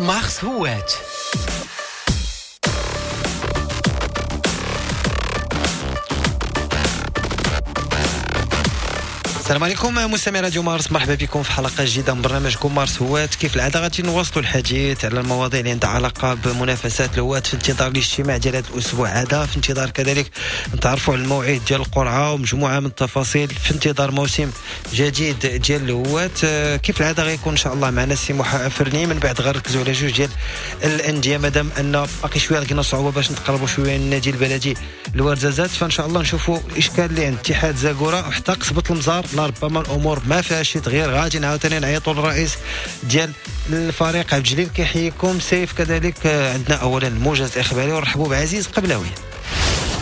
مارس هوات. السلام عليكم مستمعي راديو مارس، مرحبا بكم في حلقة جديدة من برنامجكم مارس هوات. كيف العادة غادي نواصلوا الحديث على المواضيع اللي عندها علاقة بمنافسات الهوات في انتظار الاجتماع ديال هذا الاسبوع هذا، في انتظار كذلك نتعرفوا على الموعد ديال القرعة ومجموعة من التفاصيل في انتظار موسم جديد ديال الهوات. كيف العادة غيكون ان شاء الله معنا السي محا فرني، من بعد غنركزوا على جوج ديال الاندية مادام ان باقي شوية لقينا صعوبة باش نتقربوا شوية النادي البلدي الورزازات، فان شاء الله نشوفوا الاشكال اللي عند اتحاد زاكورة وحتى قصبه المزار. لربما الامور ما فيها شي تغيير، غادي عاوتاني نعيطوا للرئيس ديال الفريق عبد الجليل كيحييكم سيف. كذلك عندنا اولا الموجز الاخباري ونرحبوا بعزيز قبلاوي.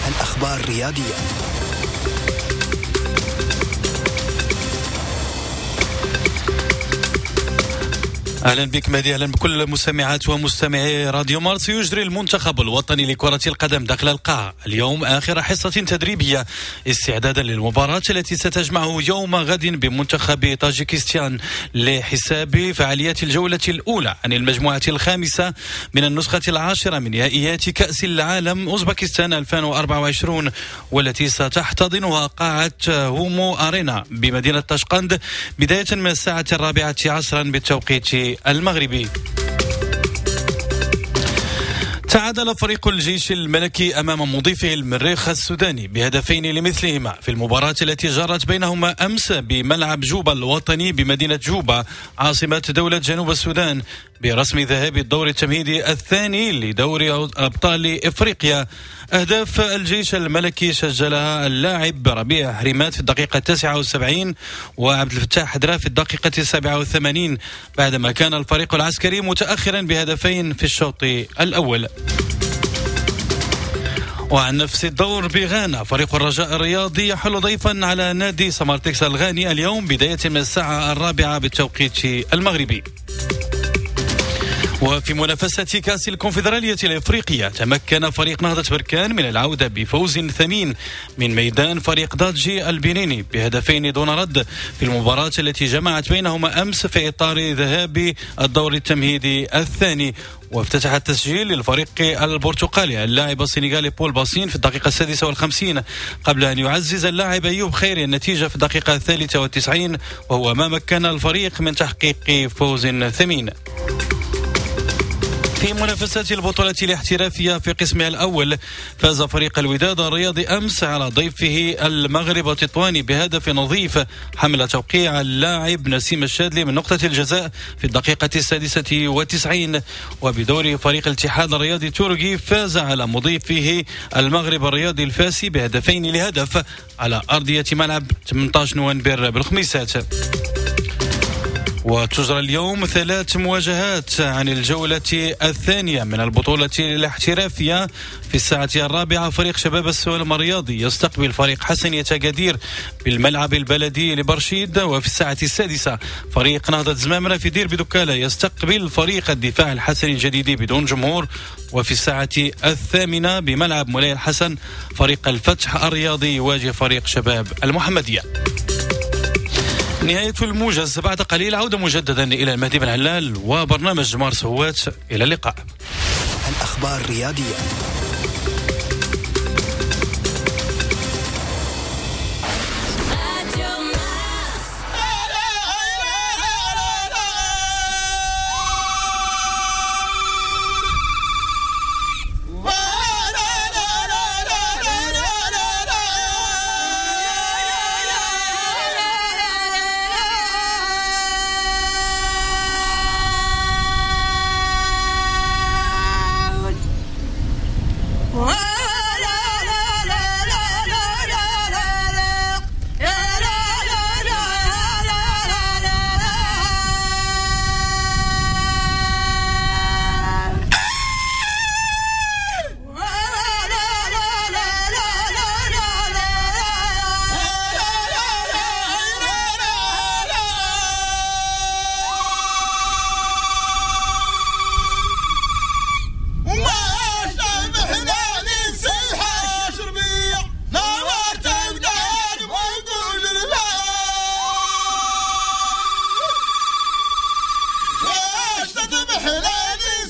الاخبار الرياضية. اهلا بك مهدي، اهلا بكل مستمعات ومستمعي راديو مارس. يجري المنتخب الوطني لكرة القدم داخل القاعة اليوم اخر حصة تدريبية استعدادا للمباراة التي ستجمعه يوم غد بمنتخب طاجيكستان لحساب فعاليات الجولة الأولى عن المجموعة الخامسة من النسخة العاشرة من نهائيات كأس العالم أوزبكستان 2024، والتي ستحتضنها قاعة هومو أرينا بمدينة طشقند بداية من الساعة 4 عصرا بالتوقيت المغربي. تعادل فريق الجيش الملكي أمام مضيفه المريخ السوداني بهدفين لمثلهما في المباراة التي جرت بينهما أمس بملعب جوبا الوطني بمدينة جوبا عاصمة دولة جنوب السودان برسم ذهاب الدور التمهيدي الثاني لدوري أبطال إفريقيا. أهداف الجيش الملكي سجلها اللاعب ربيع حريمات في الدقيقة 79 وعبد الفتاح حدرا في الدقيقة 87 بعدما كان الفريق العسكري متأخرا بهدفين في الشوط الأول. وعن نفس الدور بغانا فريق الرجاء الرياضي يحل ضيفا على نادي سمارتكس الغاني اليوم بداية من الساعة 4 بالتوقيت المغربي. وفي منافسة كأس الكونفدرالية الإفريقية تمكن فريق نهضة بركان من العودة بفوز ثمين من ميدان فريق دادجي البنيني بهدفين دون رد في المباراة التي جمعت بينهما أمس في إطار ذهاب الدور التمهيدي الثاني. وافتتح التسجيل للفريق البرتغالي اللاعب السنغالي بول باسين في الدقيقة 56 قبل أن يعزز اللاعب أيوب خيري النتيجة في الدقيقة 93، وهو ما مكن الفريق من تحقيق فوز ثمين. في منافسات البطولة الاحترافية في قسمها الأول فاز فريق الوداد الرياضي أمس على ضيفه المغرب التطواني بهدف نظيف حمل توقيع اللاعب نسيم الشادلي من نقطة الجزاء في الدقيقة 96. وبدور فريق الاتحاد الرياضي التركي فاز على مضيفه المغرب الرياضي الفاسي بهدفين لهدف على أرضية ملعب 18 نوفمبر بالخميسات. وتجرى اليوم 3 مواجهات عن الجولة الثانية من البطولة الاحترافية. في الساعة 4 فريق شباب السوالم الرياضي يستقبل فريق حسنية أكادير بالملعب البلدي لبرشيد، وفي الساعة 6 فريق نهضة زمامرة في دير بدكالة يستقبل فريق الدفاع الحسني الجديدي بدون جمهور، وفي الساعة 8 بملعب مولاي الحسن فريق الفتح الرياضي يواجه فريق شباب المحمدية. نهاية الموجز بعد قليل، عودة مجددا إلى المهدي بن علال وبرنامج مارس هوات. إلى اللقاء. الأخبار الرياضية. حلالي.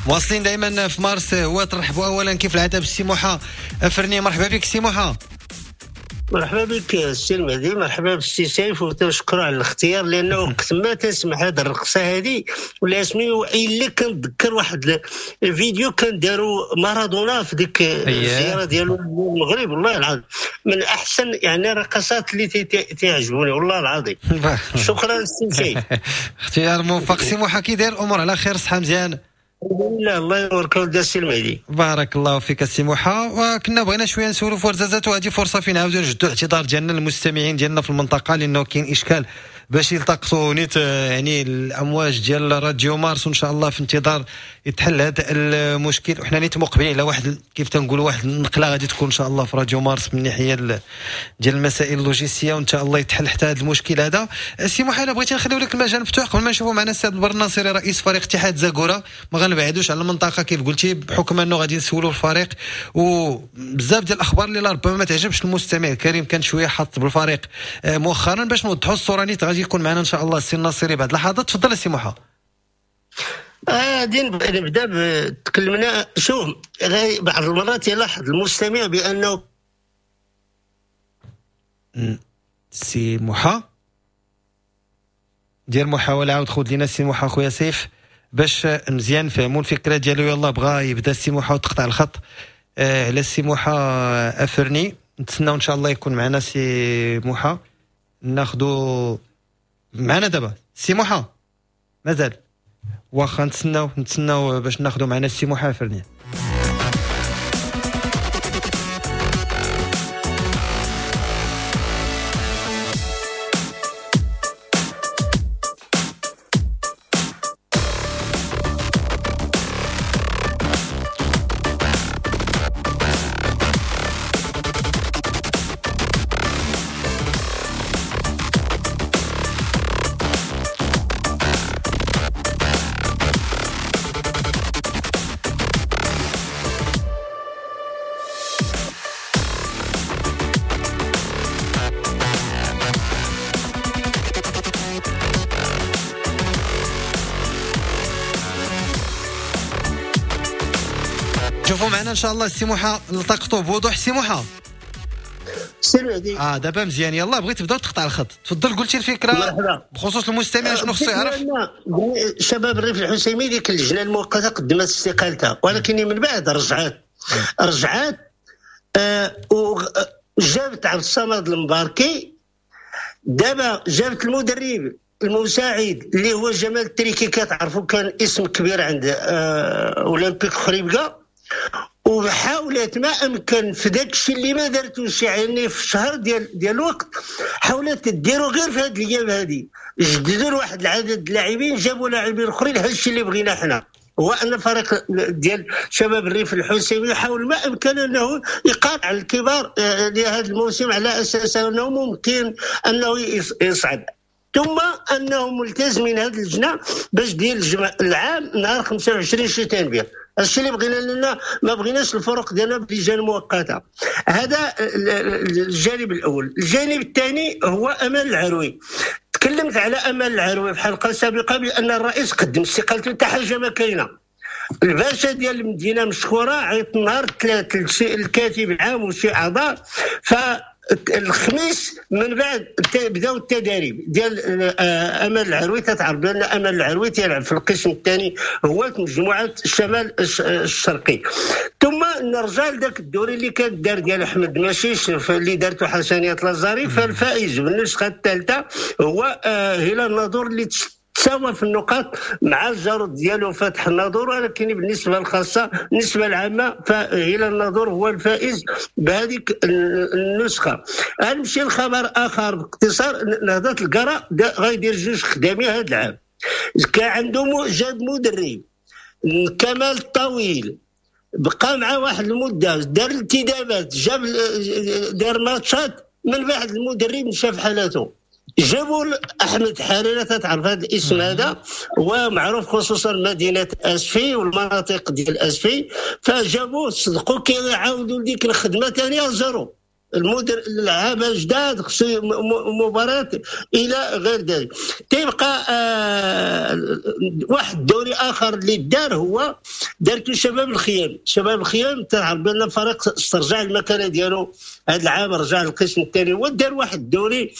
مواصلين دائما في مارس هو ترحبوا اولا كيف العادة بالسي موحى افرني. مرحبا بك سي موحى. مرحبا بك السي المهدي، مرحبا بالسي سيف، وتنشكرو على الاختيار لانه وقت ما تسمع هذه الرقصة هذه ولا اسمي الا كنتذكر واحد الفيديو كان داروا مارادونا في ديك الزيارة ديالو للمغرب، والله العظيم من احسن يعني الرقصات اللي تعجبوني والله العظيم. شكرا السي سيف، اختيار موفق. سي موحى كي داير الامور على خير؟ صحة مزيان الحمد لله، الله يبارك فيك السي المهدي. بارك الله فيك السي موحى. وكنا بغينا شوية نسولوا في ورزازات، وهذه فرصة فين نعاودوا نجدوا الاعتذار ديالنا للمستمعين ديالنا في المنطقة، لانه كاين اشكال باش يلتقطوا نيت يعني الامواج ديال راديو مارس، وان شاء الله في انتظار يتحل هذا المشكل. وحنا نيت مقبلين على واحد كيف تنقولوا واحد النقلة غادي تكون ان شاء الله في راديو مارس من ناحية ديال المسائل اللوجستية، وان شاء الله يتحل حتى هذا المشكل هذا. السي موحى بغيتي نخليو لك المجال مفتوح قبل ما نشوفوا معنا السي عبد البر الناصري رئيس فريق اتحاد زاكوره. ما غنبعدوش على المنطقة كيف قلتي، بحكم انه غادي نسولوا الفريق وبزاف ديال الاخبار اللي ربما ما تعجبش المستمع الكريم، كان شوية حاط بالفريق مؤخرا باش نوضحوا الصورة. نيت غادي يكون معنا ان شاء الله السي الناصري بعد لحظات. تفضل السي موحى. غادي نبدا تكلمنا. شوف بعض المرات يلاحظ المستمع بانه سي موحى دير محاولة، عاود خذ لينا السي موحى خويا سيف باش مزيان نفهموا الفكرة ديالو. يلاه بغى يبدا السي موحى وتقطع الخط على السي موحى افرني. نتسناو ان شاء الله يكون معنا سي موحى، ناخذو معنا دابا سي موحى مازال، واخا نتسناو باش ناخذو معنا السي موحى افرني. شوفوا معنا ان شاء الله السي موحى التقطوا بوضوح. سي موحى سي المهدي دابا مزيان. يلا بغيت تبدا تقطع الخط، تفضل. قلتي الفكرة مرحبا. بخصوص المستمع شنو خصو يعرف؟ شباب الريف الحسيمي ديك اللجنة المؤقتة قدمت استقالتها، ولكن من بعد رجعات وجابت عبد الصمد المباركي. دابا جابت المدرب المساعد اللي هو جمال التريكي، كتعرفوا كان اسم كبير عند اولمبيك خريبكا، وحاولت ما امكن في داك الشيء اللي ما دارتوش يعني في شهر ديال الوقت، حاولت ديرو غير في هاد الايام هادي. جددوا واحد العدد اللاعبين، جابوا لاعبين اخرين. هذا الشيء اللي بغينا حنا هو ان فريق ديال شباب الريف الحسيمي يحاول ما امكن انه يقاطع الكبار لهذا الموسم على اساس انه ممكن انه يصعد، ثم انهم ملتزمين هذه اللجنة باش دير العام نهار 25 شتنبر. الشيء اللي بغينا لنا ما بغيناش الفرق ديالنا بلجان مؤقتة. هذا الجانب الاول. الجانب الثاني هو امال العروي. تكلمت على امال العروي في حلقة سابقه بان الرئيس قدم استقالته، حتى حاجة ما كاينه. الباشا ديال المدينة مشكورة عيط النهار الثلاث الكاتب العام وشي اعضاء، ف الخميس من بعد بداو التدريب ديال امال العروي. تتعرف بان امال العروي تيلعب في القسم الثاني هو مجموعة الشمال الشرقي. ثم نرجع لذاك الدوري اللي كان دار ديال احمد ماشيش اللي دارته حسنيه لازاري، فالفائز بالنسخة الثالثة هو هلال الناظور اللي تساوى في النقاط مع الجارود ديالو فتح الناظور، ولكن بالنسبة الخاصة بالنسبة العامة فهلال الناظور هو الفائز بهذيك النسخة. غنمشي لخبر اخر باختصار. نهضة القرى غيدير جوج خدامي هذا العام. كان عنده جاب مدرب كمال الطويل، بقى مع واحد المدة، دار الانتدابات، جاب دار ماتشات، من بعد المدرب مشى في حالته. جابوا احمد حريره، تعرف هذا الاسم هذا هو معروف خصوصا مدينة اسفي والمناطق ديال اسفي، فجابوه صدقوا كيعاودوا ديك الخدمة ثانية zéro. المدير اللعابه جداد خصو مباراة الى غير ذلك. تيبقى واحد الدوري اخر اللي دار هو دارتو شباب الخيام. شباب الخيام تعرف بان الفريق استرجع المكانة ديالو هذا العام، رجع للقسم الثاني، ودار واحد الدوري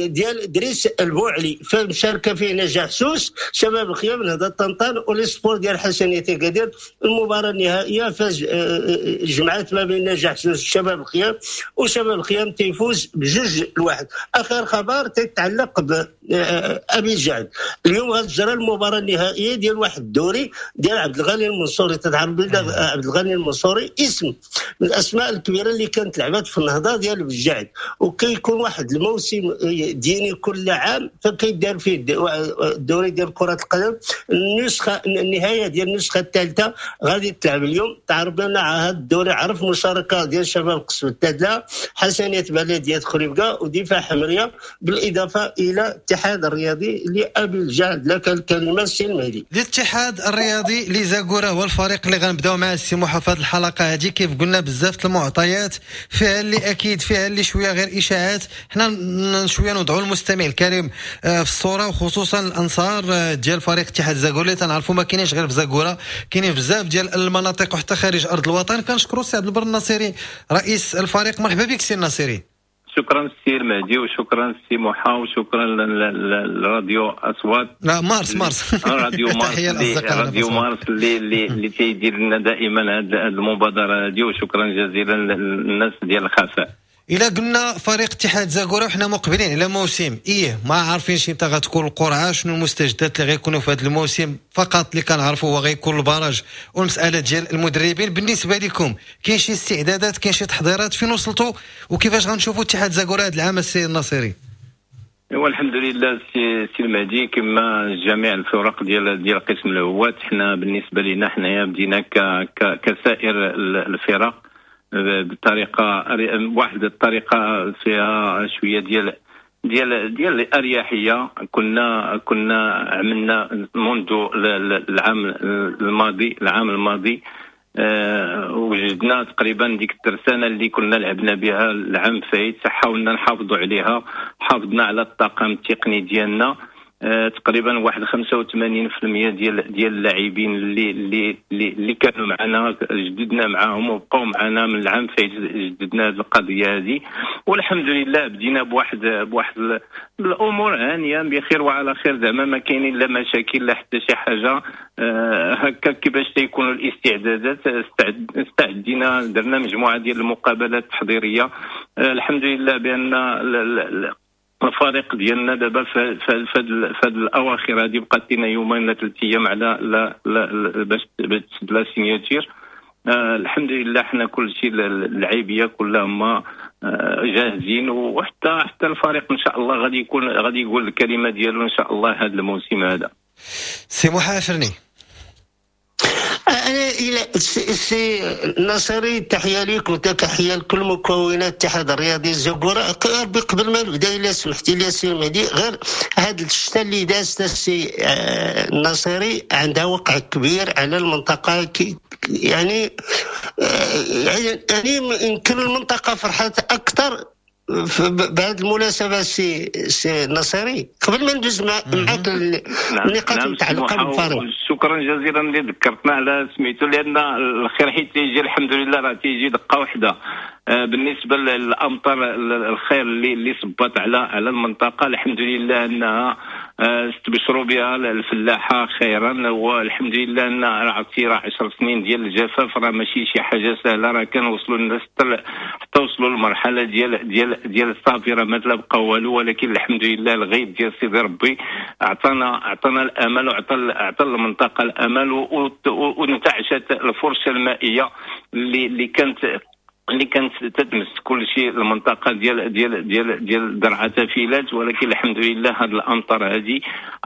ديال دريس البوعلي فمشاركه فيه نجاح سوس، شباب الخيام، نهضة طنطان، و l'Espoir ديال حسنيه اكادير. المباراة النهائية فاز جمعات ما بين نجاح سوس شباب الخيام، وشباب الخيام تيفوز ب2-1. اخر خبر تيتعلق بابي الجعد، اليوم غتجرى المباراة النهائية ديال واحد الدوري ديال عبد الغني المنصوري. تتعرف عبد الغني المنصوري اسم من الاسماء الكبيرة اللي كانت لعبات في النهضة ديال بالجعد، وكيكون واحد الموسم ديني كل عام فكيدار فيه الدوري ديال كره القدم. النسخة النهاية ديال النسخة الثالثة غادي تلعب اليوم. تعرف بان هذا الدوري عرف مشاركة ديال شباب قصب التادله، حسنيه بلديه خريبكا، ودفاع حمريه، بالاضافة الى الاتحاد الرياضي لابي الجعد. لك الكلمة السي المهدي. الاتحاد الرياضي لزاكورة هو الفريق اللي غنبداو مع السي موحى في هذه الحلقة هذه. كيف قلنا بزاف المعطيات فيها اللي اكيد، فيها اللي شوية غير اشاعات. حنا شوية نوضعوا المستمع الكريم في الصورة، وخصوصا الانصار ديال فريق اتحاد زاكورة اللي تنعرفوا ما كاينينش غير في زاكورة، كاينين بزاف ديال المناطق وحتى خارج ارض الوطن. كنشكروا السي عبد البر الناصري رئيس الفريق. مرحبا بك سي الناصري. شكرا سي المهدي، وشكرا سي موحى، وشكرا للراديو اصوات. لا مارس مارس راديو مارس، راديو مارس اللي تيدير لنا دائما هذه المبادرة هذه، وشكرا جزيلا للناس ديال الخفاء. إلا قلنا فريق اتحاد زاكورة وحنا مقبلين على موسم، إيه ما عارفين شي متى غتكون القرعة، شنو المستجدات اللي غيكونوا في هذا الموسم. فقط اللي كنعرفوا هو غيكون ال barrage والمسألة ديال المدربين. بالنسبة لكم كاين شي استعدادات، كاين شي تحضيرات، فين وصلتوا وكيفاش غنشوفوا اتحاد زاكورة هذا العام السي الناصري؟ ايوا الحمد لله سي المهدي، كما جميع الفرق ديال قسم الهواة، حنا بالنسبة لنا حنايا بدينا كسائر الفرق بطريقة واحد الطريقة فيها شوية ديال ديال ديال الاريحيه. كنا عملنا منذ العام الماضي وجدنا تقريبا ديك الترسانه اللي كنا لعبنا بها العام فايت، حاولنا نحافظوا عليها، حافظنا على الطاقم التقني ديالنا. تقريبا واحد 85% ديال اللاعبين اللي اللي اللي كانوا معنا جددنا معاهم وبقاو معنا من العام فايت، جددنا هذه القضية هذه، والحمد لله بدينا بواحد الامور هانيه بخير وعلى خير، زعما ما كاينين لا مشاكل لا حتى شي حاجة. هكا كيفاش تيكونوا الاستعدادات، استعدينا، درنا مجموعة ديال المقابلات التحضيريه. الحمد لله بان الفريق ديالنا دابا في هاد الاواخر هادي بقات لنا يومين ولا 3 ايام على لا لا باش تسد la signature. الحمد لله حنا كلشي اللعيبيه كلهم جاهزين، وحتى حتى الفريق ان شاء الله غادي يقول الكلمة ديالو ان شاء الله هذا الموسم هذا. سي محافرني، انا الى سي الناصري تحية ليك وتحية لكل مكونات الاتحاد الرياضي الزاكورة. قبل ما نبدا الا سمحتي لي سي المهدي، غير هاد الشتاء اللي دازت السي الناصري عندها وقع كبير على المنطقة، يعني يعني يمكن المنطقة فرحت اكثر بهذه المناسبة. سي الناصري قبل ما ندوز معاك النقاط المتعلقة بالفريق، شكرا جزيلا اللي ذكرتنا على سميتو، لان الخير حيت تيجي الحمد لله راه تيجي دقه واحدة. بالنسبة للامطار الخير اللي صبت على المنطقة، الحمد لله انها استبشروا بها الفلاحة خيرا، والحمد لله ان عرفتي راه 10 سنين ديال الجفاف راه ماشي شي حاجة سهلة، راه كان وصلوا الناس حتى وصلوا للمرحلة ديال ديال ديال الصافي راه ما تلا بقى والو، ولكن الحمد لله الغيب ديال سيدي ربي عطانا الامل، وعطى المنطقة الامل، وانتعشت الفرشة المائية اللي كانت تتمس كل شيء المنطقة ديال ديال ديال ديال درعه تافيلات، ولكن الحمد لله هذه الامطار هذه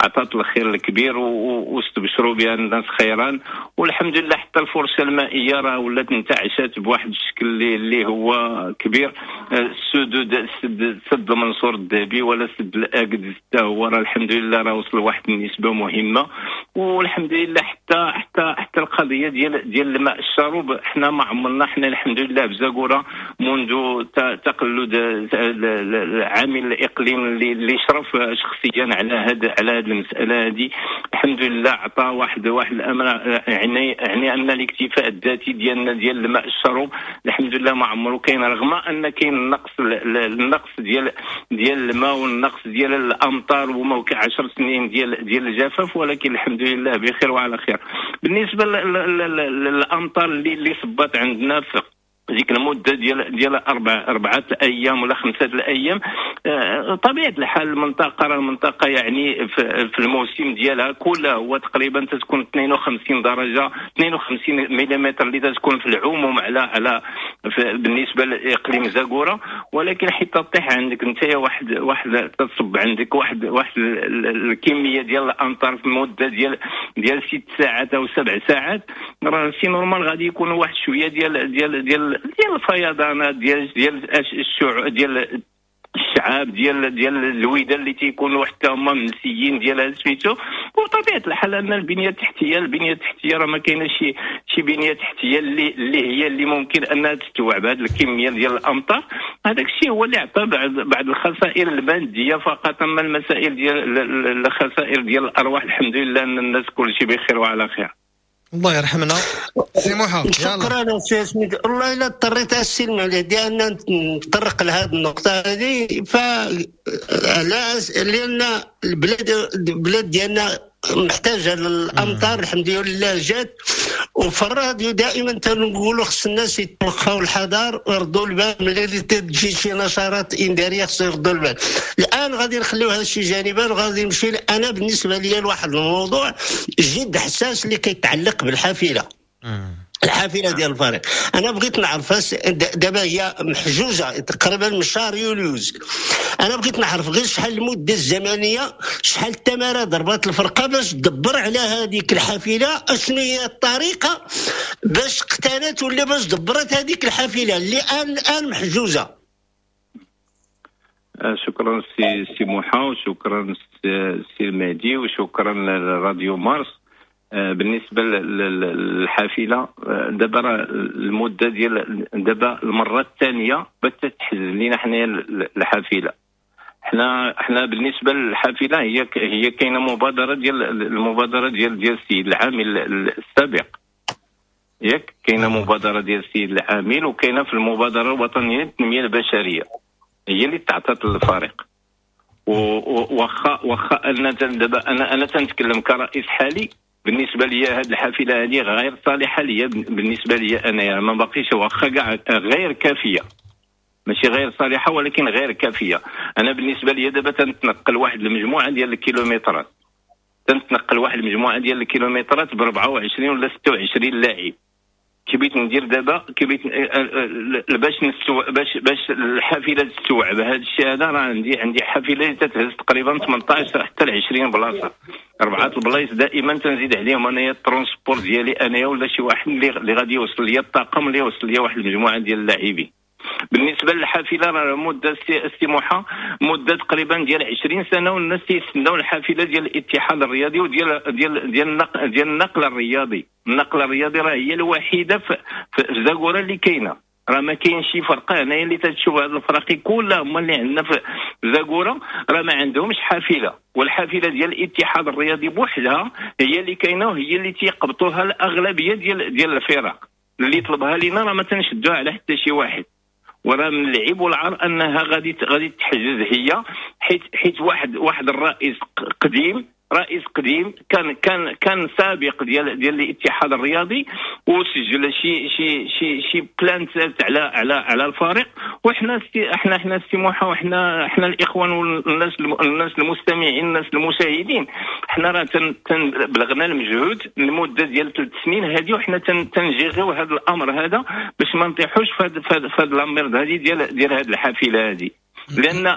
عطات الخير الكبير واستبشروا بها الناس خيرا، والحمد لله حتى الفرشة المائية راه ولات انتعشت بواحد الشكل اللي هو كبير. السدود، سد المنصور الذهبي ولا سد الاكد حتى هو راه الحمد لله راه وصل لواحد النسبة مهمة، والحمد لله حتى حتى حتى القضية ديال الماء الشروب حنا ما عمرنا، حنا الحمد لله بزاكورة منذ تقلد عامل الاقليم اللي شرف شخصيا على هذه المسالة هذه، الحمد لله عطى واحد الامر، يعني ان الاكتفاء الذاتي ديالنا ديال الماء الشروب الحمد لله ما عمرو كاين، رغم ان كاين النقص ديال الماء والنقص ديال الامطار وما 10 سنين ديال الجفاف، ولكن الحمد لله بخير وعلى خير. بالنسبة للامطار اللي صبات عندنا في ديك المدة ديال 4 ايام ولا 5 الايام، طبيعة الحال المنطقة يعني في الموسم ديالها كلها هو تقريبا تتكون 52 درجه 52 ملم اللي تتكون في العموم على بالنسبة لاقليم زاكوره، ولكن حتى تطيح عندك انت واحد تصب عندك واحد الكمية ديال الامطار في مده ديال 6 ساعات او 7 ساعات، راه c'est normal غادي يكون واحد شوية ديال ديال ديال ديال الفيضانات ديال ديال ديال الشعاب ديال الويده اللي تيكونوا حتى هما منسيين ديال سميتو. وطبيعه الحال ان البنية التحتية راه ما كاينه شي بنيه تحتيه اللي هي اللي ممكن انها تستوعب هذه الكمية ديال الامطار. هذاك الشيء هو اللي عطى بعض الخسائر المادية فقط، اما المسائل ديال الخسائر ديال الارواح الحمد لله ان الناس كلشي بخير وعلى خير. الله يرحمنا سي موحى. شكرا سي سميت. والله الا اضطريت السلم على لان نتطرق لهذه النقطة هذه، لان البلاد ديالنا محتاجه للامطار الحمد لله جات. وفي الراديو دائما تنقولوا خص الناس يتوخاو الحذر ويردوا البال ملي تجي شي نشرات انذاريه خص يردوا البال. الان غادي نخليو هذا الشيء جانبا وغادي نمشي انا بالنسبة لي لواحد الموضوع جد حساس اللي كيتعلق بالحافله، الحافلة ديال الفريق. انا بغيت نعرف دابا هي محجوزة تقريبا من شهر يوليوز، انا بغيت نعرف غير شحال المدة الزمنية، شحال التماره ضربات الفرقة باش تدبر على هذيك الحافلة، اشنو هي الطريقة باش اقتنت ولا باش دبرت هذيك الحافلة اللي الان محجوزة. شكرا سي موحى، وشكرا سي المهدي، وشكرا لراديو مارس. بالنسبة للحافله دابا راه المدة ديال دابا المرة الثانية باش تحجز لينا حنايا الحافلة. حنا بالنسبة للحافله هي كاينه مبادرة ديال المبادرة ديال السيد العامل السابق، ياك كاينه مبادرة ديال السيد العامل، وكاينه في المبادرة الوطنية للتنمية البشرية هي اللي تعطات للفريق. واخا ان دابا انا تنتكلم كرئيس حالي، بالنسبة لي هذه الحافلة هذه غير صالحه ليا، بالنسبة لي انا ما باقيش، واخا كاع غير كافيه، ماشي غير صالحه ولكن غير كافيه. انا بالنسبة لي دابا تنتنقل واحد المجموعة ديال الكيلومترات، ب 24 ولا 26 لاعب. كي بغيت ندير دابا، كي بغيت باش الحافلة تستوعب هذا الشيء هذا، راه عندي حافلة اللي تتهز تقريبا 18 حتى ل 20 بلاصة، 4 البلايص دائما تنزيد عليهم انايا ال transport ديالي انايا ولا شي واحد اللي غادي يوصل ليا الطاقم اللي يوصل ليا واحد المجموعة ديال اللاعبين. بالنسبة للحافله راه مده السموحه مده تقريبا ديال 20 سنة والناس تيستناو الحافلة ديال الاتحاد الرياضي وديال ديال ديال النقل ديال النقل الرياضي. النقل الرياضي راه هي الوحيدة في زاكوره اللي كاينه، راه ما كاين شي فرقه هنايا اللي تتشوف هاد الفراقي كلها هما اللي عندنا في زاكوره راه ما عندهمش حافلة، والحافله ديال الاتحاد الرياضي بوحدها هي اللي كاينه وهي اللي تيقبطوها الاغلبية ديال الفرق اللي طلبها لينا، راه ما تنشدوها على حتى شي واحد. وراه من العيب والعار انها غادي تحجز هي، حيت واحد الرئيس قديم، رئيس قديم كان كان كان سابق ديال الاتحاد الرياضي وسجل شي شي شي شي plainte على على على الفريق. وحنا احنا احنا السموحه وحنا احنا الاخوان والناس الناس المستمعين الناس المشاهدين، حنا راه بلغنا المجهود لمدة ديال 3 سنين هذه، وحنا تنجيغيو هذا الامر هذا باش ما نطيحوش في هذا الامر هذه ديال هذه الحافلة هذه.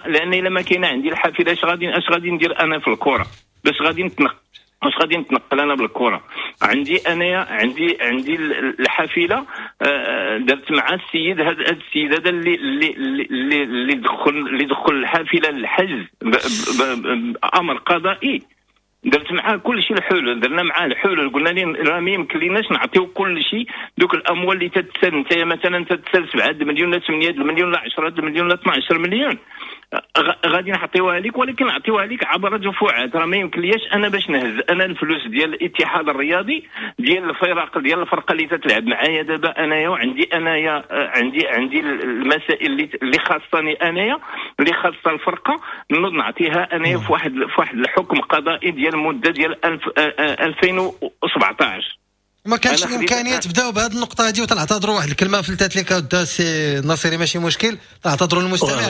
لان الا ما كاينه عندي الحافلة اش غادي ندير انا في الكره؟ باش غادي نتنقل انا بالكرة؟ عندي انايا عندي الحافلة، درت مع السيد هذا السيد هذا اللي اللي اللي اللي دخل الحافلة للحجز بامر قضائي. درت معاه كل شيء الحلول، درنا معاه الحلول، قلنا ليه راه ما يمكن ليناش نعطيو كل شيء دوك الاموال اللي تتسال انت مثلا تتسال 7 مليون لا 8 مليون لا 10 مليون لا 12 مليون غادي نعطيوها لك، ولكن نعطيوها لك عبر دفعات. راه ما يمكنليش انا باش نهز انا الفلوس ديال الاتحاد الرياضي ديال الفرق ديال الفرقة اللي تتلعب معايا دابا انايا، وعندي انايا عندي المسائل اللي خاصني انايا اللي خاصة الفرقة، نوض نعطيها انايا في واحد الحكم قضائي ديال المدة ديال 2017. ما كانش الامكانية تبداو بهذه النقطة هذه، وتنعتذروا واحد الكلمة فلتات لك اود سي الناصري ماشي مشكل، تعتذروا للمستمع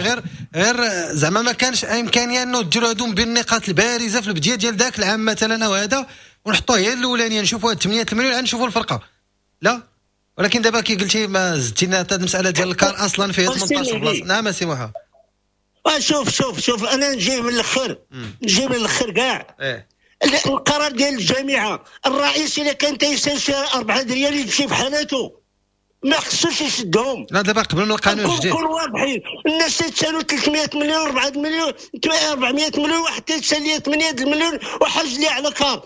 غير زعما ما كانش امكانية انه ديروا هذو بين النقاط البارزة في البداية ديال ذاك العام مثلا او هذا، ونحطوه هي الاولانية نشوفوا هاد 8 المليون عاد نشوفوا الفرقة. لا ولكن دابا كي قلتي ما زدتي لنا حتى المسالة ديال الكار اصلا فيها 18 بلاصة. نعم سي موحى. شوف شوف شوف انا نجي من الاخر، نجي من الاخر كاع. القرار ديال الجامعة، الرئيس الا كان تيسال شي 4 ريال يمشي بحالته، ما خصوش يشدهم. لا دابا قبل من القانون الجديد نكونوا واضحين، الناس تيتسالوا 300 مليون 4 مليون 400 مليون، واحد تيتسال لي 8 مليون وحاج لي على كار.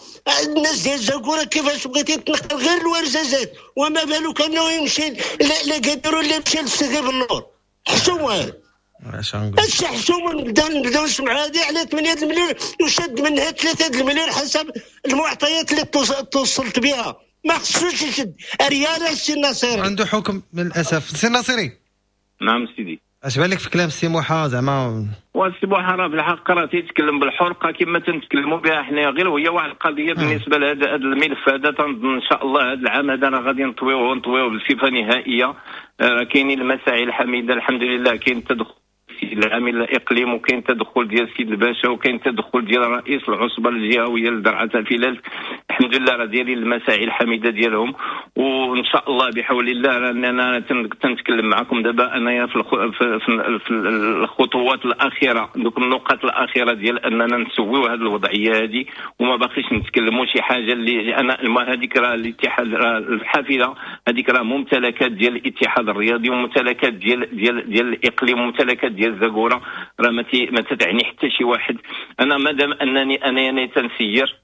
الناس ديال زاكوره كيفاش بغيتي تنقل غير الورزازات، وما بالك انه يمشي لا قدروا اللي يمشي للسيدي بالنور. حشومه هادشي حشومه. نبداو نسمعوا هادي على 8 المليون وشد منها 3 المليون حسب المعطيات اللي توصلت بها. ما خصوش يشد ريال السي الناصري، عنده حكم للاسف. السي الناصري. نعم سيدي. اش بالك في كلام السي موحى زعما؟ والسي موحى راه بالحق راه تيتكلم بالحرقه كما تنتكلموا بها حنايا، غير وهي واحد القضية بالنسبة لهذا الملف هذا. تنظن ان شاء الله هذا العام هذا راه غادي نطويوه بصفة نهائية. كاينين المساعي الحميدة الحمد لله، كاين التدخل العامل الاقليم، وكاين تدخل ديال السيد الباشا، وكاين تدخل ديال رئيس العصبة الجهوية لدرعه تافيلالت. الحمد لله راه دايرين المساعي الحميدة ديالهم، وان شاء الله بحول الله راننا تنتكلم معكم دابا انايا في الخطوات الاخيرة، دوك النقاط الاخيرة ديال اننا نسويو هذه الوضعية هذه، وما باقيش نتكلموا شي حاجة اللي انا هذيك راه الاتحاد راه الحافلة هذيك راه ممتلكات ديال الاتحاد الرياضي، وممتلكات ديال ديال ديال الاقليم، وممتلكات ديال زاكوره، راه ما تتعني حتى شي واحد. انا مادام انني انا تنسير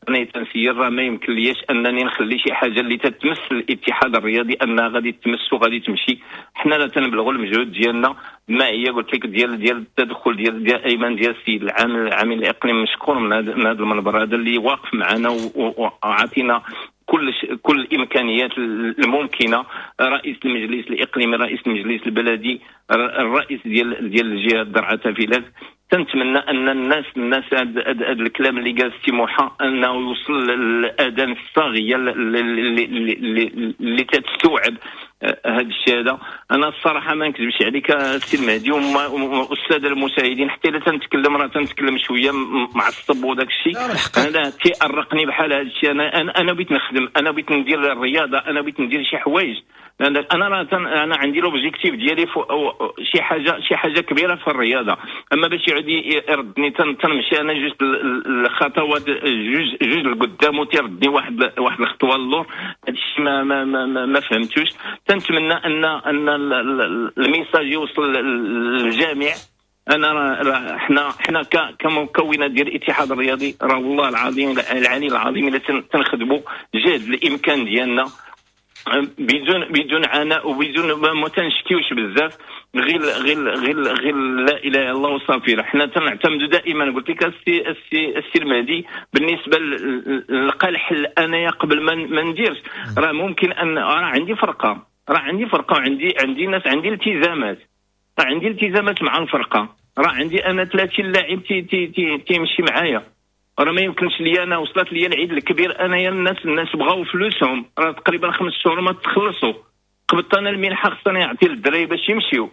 راه ما يمكن ليش انني نخلي شي حاجة اللي تتمس الاتحاد الرياضي انها غادي تمس وغادي تمشي. حنا لا تنبلغوا المجهود ديالنا، ما هي قلت لك ديال التدخل ديال ايمن ديال السيد العامل الاقليم، مشكور من هذا المنبر هذا اللي واقف معنا وعطينا كل الامكانيات الممكنة. رئيس المجلس الاقليمي، رئيس المجلس البلدي، الرئيس ديال الجهة درعه تافيلالت. تنتمنى ان الناس هذا الكلام اللي قال السي موحى انه يوصل للاذان الصاغيه اللي تستوعب هذا الشيء هذا. انا الصراحة ما نكذبش عليك السي المهدي والسادة المشاهدين، حتى الا تنتكلم راه تنتكلم شوية معصب وداك الشيء، انا تيأرقني بحال هذا الشيء. انا بغيت نخدم، انا بغيت ندير الرياضة، انا بغيت ندير شي حوايج. انا راه انا عندي l'objectif ديالي شي حاجة كبيرة في الرياضة. اما باش يعود يردني تنمشي انا جوج الخطوات جوج لقدام وتيردني واحد الخطوة للور، هذا الشيء ما ما ما, ما فهمتوش. تنتمنى ان ال message يوصل للجميع. انا راه حنا كمكونات ديال الاتحاد الرياضي راه والله العظيم العلي العظيم الا تنخدموا جهد الامكان ديالنا بدون عناء وبدون ما تنشكيوش بزاف، غير غير غير غير لا اله الا الله وصافي. حنا تنعتمدوا دائما، قلت لك السي المهدي بالنسبة للقى الحل انايا قبل ما نديرش، راه ممكن ان راه عندي فرقه، وعندي ناس، عندي التزامات، راه عندي التزامات مع الفرقة، راه عندي انا 30 لاعب تيمشي معايا. راه ما يمكنش لي انا وصلت لي العيد الكبير انايا الناس بغاو فلوسهم، راه تقريبا 5 شهور ما تخلصوا. قبضت انا المنحة خصني نعطي للدراري باش يمشيو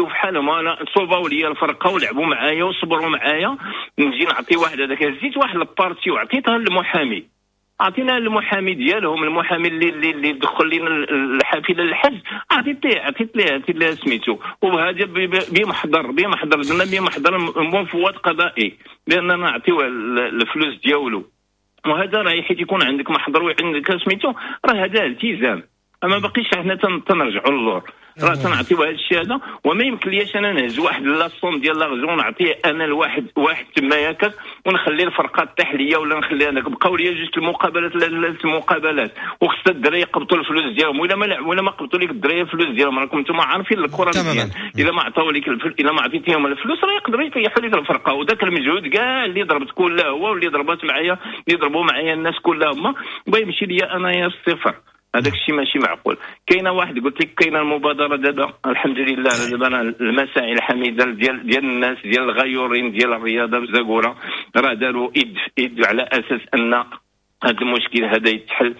في حالهم. انا صوباو لي الفرقة ولعبوا معايا وصبروا معايا، نجي نعطي واحد هذاك، هزيت واحد ال partie وعطيتها للمحامي، عطينا المحامي ديالهم، المحامي اللي دخل لنا الحافلة للحج، عطيت ليه سميتو، وهذا بمحضر درنا بمحضر مفوض قضائي لاننا نعطيوه الفلوس ديالو. وهذا راه حيت يكون عندك محضر وعندك سميتو راه هذا التزام، ما باقيش حنا تنرجعوا للور. راه تنعطيو هذا الشيء هذا، وما يمكن ليش انا نهز واحد la somme ديال l'argent نعطيه انا لواحد واحد تما ياك ونخلي الفرقة طيح ليا ولا نخلي انا بقاو ليا جوج المقابلات لا ثلاث المقابلات، وخص الدراري يقبطوا الفلوس ديالهم، ولا ما قبطوا لك الدراري الفلوس ديالهم راكم انتم عارفين الكره مزيان، الا ما عطاو لك الا ما عطيتيهم الفلوس راه يقدروا يطيحوا لك الفرقة، وذاك المجهود كاع اللي ضربت كلها هو واللي ضربات معايا اللي ضربوا معايا الناس كلها هما بيمشي ليا انايا الصفر. هذاك الشيء ماشي معقول. كاينه واحد قلت لك كاينه المبادرة دابا الحمد لله، دابا المساعي الحميدة ديال الناس ديال الغيورين ديال الرياضة في زاكوره راه داروا ايد في ايد على اساس ان هذا المشكل هذا يتحل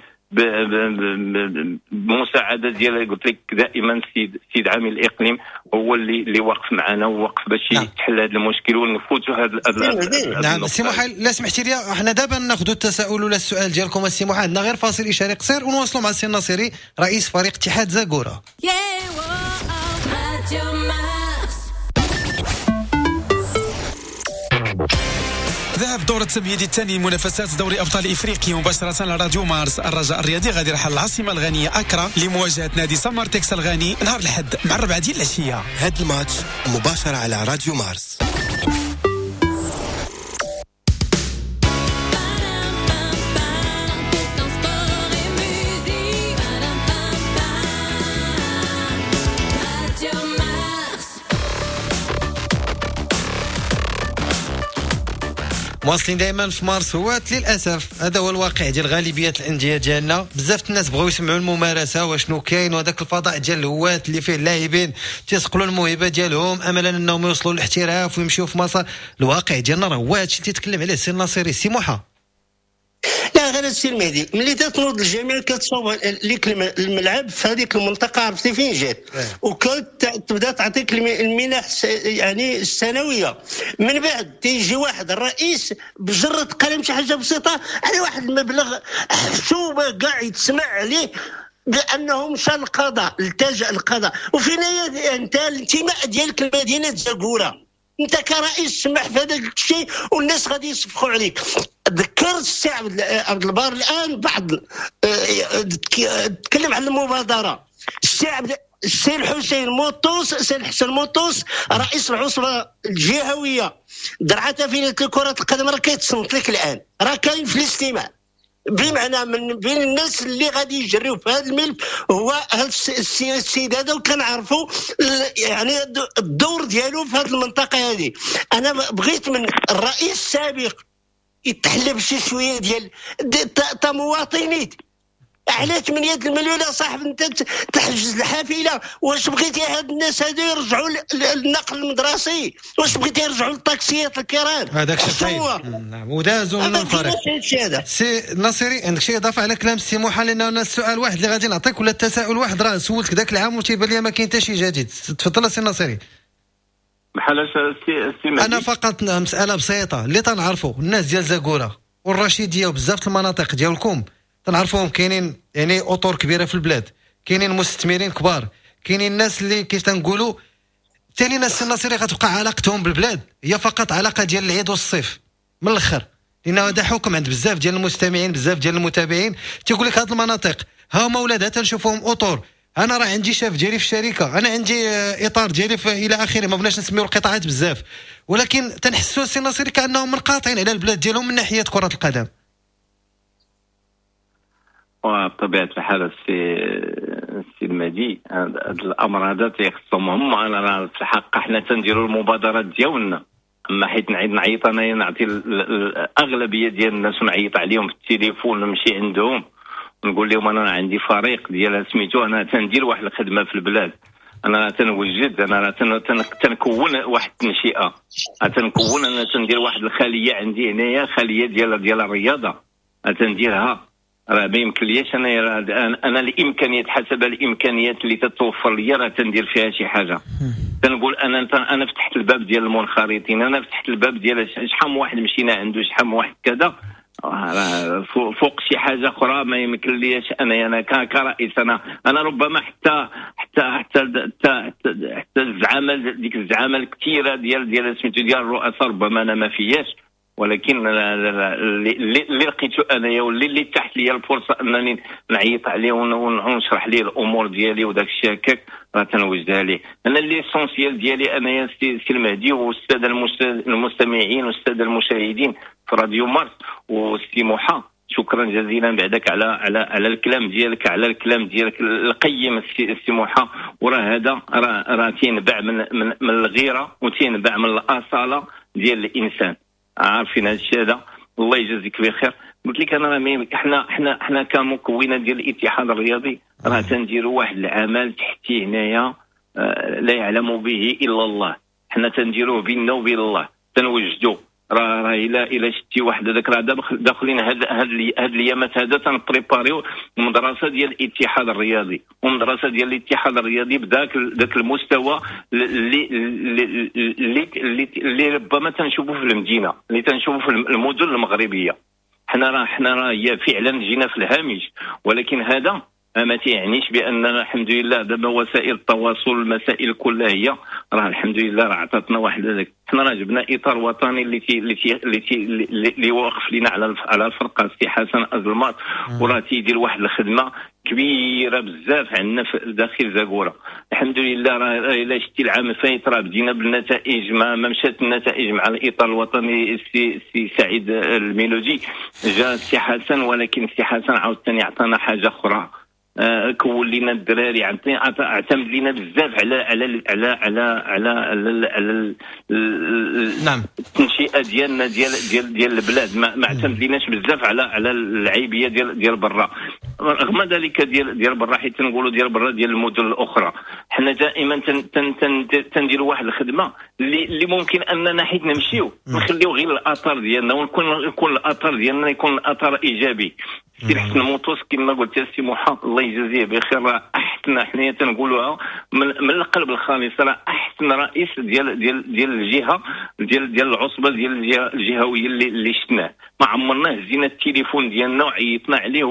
بمساعدة ديال قلت لك دائما السيد عامل الاقليم هو اللي واقف معنا ووقف باش يتحل هذا المشكل ونفوتوا هذا. نعم سي محال، لا سمحتي لي احنا دابا ناخذوا التساؤل ولا السؤال ديالكم السي محال، عندنا غير فاصل اشاري قصير ونواصلوا مع السي الناصري رئيس فريق اتحاد زاكوره. ذهب دور التمهيدي الثاني منافسات دوري ابطال افريقيا مباشرة على راديو مارس. الرجاء الرياضي غادي يرحل العاصمة الغانيه اكرا لمواجهة نادي سمارتكس الغاني نهار الاحد مع 4 ديال العشية. هذا الماتش مباشرة على راديو مارس. مواصلين دائما في مارس هوات. للاسف هذا هو الواقع ديال غالبية الاندية ديالنا، بزاف الناس بغاو يسمعوا الممارسة واشنو كاين، وهذاك الفضاء ديال الهوات اللي فيه اللاعبين تيصقلوا الموهبة ديالهم املا انهم يوصلوا للاحتراف ويمشيو في مسار. الواقع ديالنا راه هو هادشي اللي تيتكلم عليه السي الناصري. سي موحى، لا غير السي المهدي، ملي تتنوض الجميع كتصوب لك الملعب في هذيك المنطقة عرفتي فين جات، وكتبدا تعطيك المنح يعني السنوية. من بعد تيجي واحد الرئيس بجرة قلم شي حاجة بسيطة على واحد المبلغ حسوبه كاع يتسمع عليه بانه مشى للقضاء، التجا للقضاء. وفين هي انت الانتماء ديالك لمدينة زاكوره؟ انت كرئيس سمح في هذاك الشيء والناس غادي يصفقوا عليك. ذكر السي عبد البار الان بعض تكلم على المبادرة. السي الحسين موطوس، السي الحسن موطوس رئيس العصبة الجهوية درعه تافينه لكرة القدم راه كيتصنت لك الان، راه كاين في الاستماع، بمعنى من بين الناس اللي غادي يجريو في هذا الملف هو هذا السيد هذا، وكنعرفوا يعني الدور ديالو في هذه المنطقة هذه. انا بغيت من الرئيس السابق يتحلب شي شوية ديال تا مواطنيت على 8 المليون يا صاحب انت تحجز الحافلة. واش بغيتي هاد الناس هادو يرجعوا للنقل المدرسي؟ واش بغيتي يرجعوا للطاكسيات الكرام؟ هذاك الشيء نعم ودازوا من الفريق. سي ناصري عندك شي اضافه على كلام السي موحى؟ لان انا السؤال واحد اللي غادي نعطيك ولا التساؤل واحد راه سولتك ذاك العام وتيبان لي ما كاين حتى شي جديد. تفضل سي ناصري. بحال سي مهدي، انا فقط مسالة بسيطة اللي تنعرفوا الناس ديال زاكوره والرشيديه وبزاف المناطق ديالكم تنعرفوهم كاينين يعني اطر كبيرة في البلاد، كاينين مستثمرين كبار، كاينين الناس اللي كيف تنقولوا ثاني ناس الناصري غتبقى علاقتهم بالبلاد هي فقط علاقة ديال العيد والصيف من الاخر، لان هذا حكم عند بزاف ديال المستمعين بزاف ديال المتابعين تيقول لك هاد المناطق ها هما ولادها تنشوفوهم اطر، انا راه عندي شاف ديالي في الشركة، انا عندي اطار ديالي الى اخره، ما بغناش نسميو القطاعات بزاف، ولكن تنحسوا السي الناصري كانهم منقاطعين على البلاد ديالهم من ناحية كره القدم. وبطبيعة الحال السي المهدي هذا الامر هذا تيخصهم هما. انا في الحق حنا تنديروا المبادرات ديالنا، اما حيت نعيط انايا نعطي الاغلبية ديال الناس ونعيط عليهم في التليفون نمشي عندهم ونقول لهم انا عندي فريق ديال سميتو، انا تندير واحد الخدمة في البلاد، انا تنوجد، انا تنكون واحد التنشئه، تنكون انا تندير واحد الخلية عندي هنايا، خليه ديال الرياضة تنديرها. راه ما يمكنليش انا الامكانيات حسب الامكانيات اللي تتوفر لي راه تندير فيها شي حاجة. تنقول انا فتحت الباب ديال المنخرطين، انا فتحت الباب ديال شحال من واحد مشينا عنده، شحال من واحد كذا، فوق شي حاجة اخرى ما يمكن ليش انا كرئيس. انا ربما حتى حتى حتى حتى الزعامه، ديك الزعامه الكثيرة ديال سميتو ديال الرؤساء ربما انا ما فياش، ولكن اللي لقيته انايا واللي تحت لي الفرصة انني نعيط عليه ونشرح ليه الامور ديالي وداك الشيء هكاك راه تنوجدها ليه. انا l'essentiel ديالي انايا سي المهدي والسادة المستمعين والسادة المشاهدين في راديو مارس والسي موحى، شكرا جزيلا بعدك على على على الكلام ديالك، على الكلام ديالك القيم السي موحى. وراه هذا راه تينبع من من من الغيرة وتينبع من الاصالة ديال الانسان، عارفين هذا الشيء هذا. الله يجازيك بخير. قلت لك انا راه حنا كمكونات ديال الاتحاد الرياضي راه تنديروا واحد العمل تحتي هنايا لا يعلم به الا الله، حنا تنديروه بيننا وبين الله، تنوجدوا راه الى شتي واحد هذاك راه داخلين هاد الايامات هذا تنبريباريو المدرسة ديال الاتحاد الرياضي، ومدرسة ديال الاتحاد الرياضي بداك ذاك المستوى اللي اللي اللي, اللي ربما تنشوفوا في المدينة، اللي تنشوفوا في المدن المغربية. حنا راه هي فعلا جينا في الهامش، ولكن هذا ما تيعنيش باننا الحمد لله دابا وسائل التواصل المسائل كلها هي راه الحمد لله راه عطاتنا واحد هذاك. حنا راه جبنا اطار وطني اللي تي اللي تي اللي, تي اللي واقف لنا على الفرقة السي حسن ازلمات، وراه تيدير واحد الخدمة كبيرة بزاف عندنا في داخل زاكوره. الحمد لله راه الا شتي العام الفايت راه بدينا بالنتائج، ما مشات النتائج مع الاطار الوطني السي سعيد الميلودي، جا السي حسن، ولكن السي حسن عاوتاني عطانا حاجة اخرى، كون لينا الدراري، اعتمد لينا بزاف على على على على على على, على نعم التنشئه ديالنا ديال ديال ديال البلاد، ما اعتمد ليناش بزاف على اللعيبيه ديال برا، رغم ذلك ديال برا، حيت تنقولوا ديال برا ديال المدن الاخرى. حنا دائما تنديروا واحد الخدمة اللي ممكن اننا حيت نمشيو نخليو غير الاثار ديالنا، ونكون الاثار ديالنا يكون الاثر ايجابي. سي الحسن موطوس كما قلت يا سي موحى الله يجازيه بخير، راه احسن، حنايا تنقولوها من القلب الخالص، راه احسن رئيس ديال ديال ديال الجهة ديال ديال العصبة ديال الجهة الجهوية اللي شفناه. ما عمرنا هزينا التليفون ديالنا وعيطنا عليه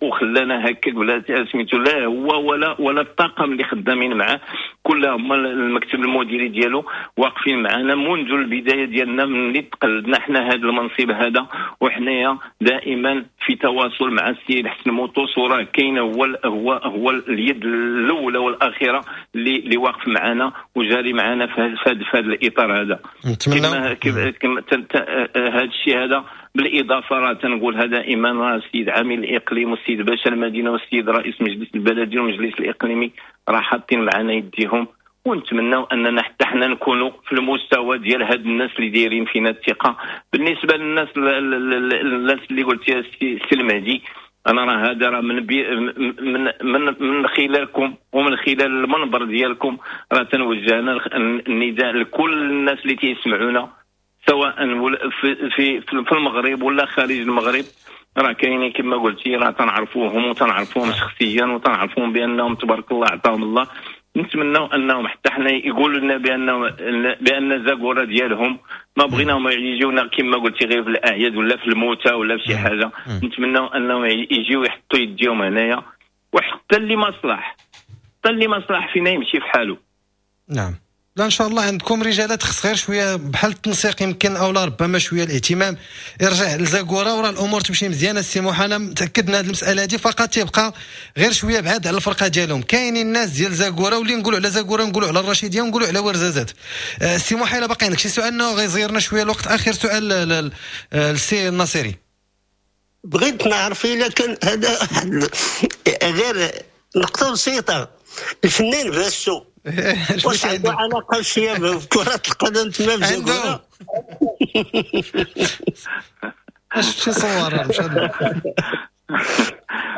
وخلانا هكاك ولا سميتو، لا هو ولا الطاقم اللي خدامين معاه كلهم المكتب المديري ديالو واقفين معنا منذ البداية ديالنا، من اللي تقلدنا حنا هذا المنصب هذا، وحنايا دائما في تواصل مع السيد حسن موطوس، وراه كاين هو هو هو اليد الاولى والاخيرة اللي واقف معنا وجاري معنا في هذا الاطار هذا. نتمنى كما هذا الشيء هذا. بالاضافة راه تنقولها دائما، راه السيد عامل الاقليم والسيد باشا المدينة والسيد رئيس مجلس البلدي والمجلس الاقليمي راه حاطين معنا يديهم، ونتمناو اننا حتى حنا نكونوا في المستوى ديال هاد الناس اللي دايرين فينا الثقة. بالنسبة للناس الناس اللي قلت يا سي المهدي، انا راه هذا راه من من من من خلالكم ومن خلال المنبر ديالكم راه تنوجه انا النداء لكل الناس اللي تيسمعونا، سواء في في المغرب ولا خارج المغرب. راه كاينين كما قلتي، راه تنعرفوهم وتنعرفوهم شخصيا وتنعرفوهم بانهم تبارك الله عطاهم الله. نتمناو انهم حتى حنا يقولوا لنا بان زاكوره ديالهم، ما بغيناهم يجيونا كما قلتي غير في الاعياد ولا في الموتى ولا في شي حاجة. نتمناو انهم يجيو يحطوا يديهم هنايا، وحتى اللي ما صلح، حتى اللي ما صلح فينا يمشي في حاله. نعم، لا ان شاء الله عندكم رجالات، خص غير شوية بحال التنسيق يمكن، او لا ربما شوية الاهتمام يرجع لزاكوره وراه الامور تمشي مزيانه. السي موحى انا متاكد من هذه المسالة هذه، فقط تيبقى غير شوية بعاد على الفرقة ديالهم. كاينين الناس ديال زاكوره، واللي نقولوا على زاكوره نقولوا على الرشيديه ونقولوا على ورزازات. السي موحى الا باقي عندك شي سؤال غيزيرنا شوية الوقت، اخر سؤال للسي الناصري. بغيت نعرف الا كان هذا غير نقطة بسيطة، الفنان باسو واش عنده علاقة شوية بكره القدم تما في زاكوره؟ اش شي صور مش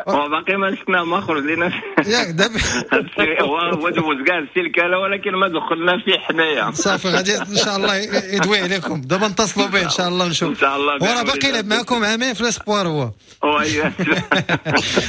هو باقي ما شفناه، ما خرج لنا ياك دابا هو دوز كاع السلكاله، ولكن ما دخلنا فيه حنايا. صافي غادي ان شاء الله يدوي عليكم دابا، نتصلوا به ان شاء الله نشوف ان شاء الله. وراه باقي يلعب معكم عامين في l'espoir هو.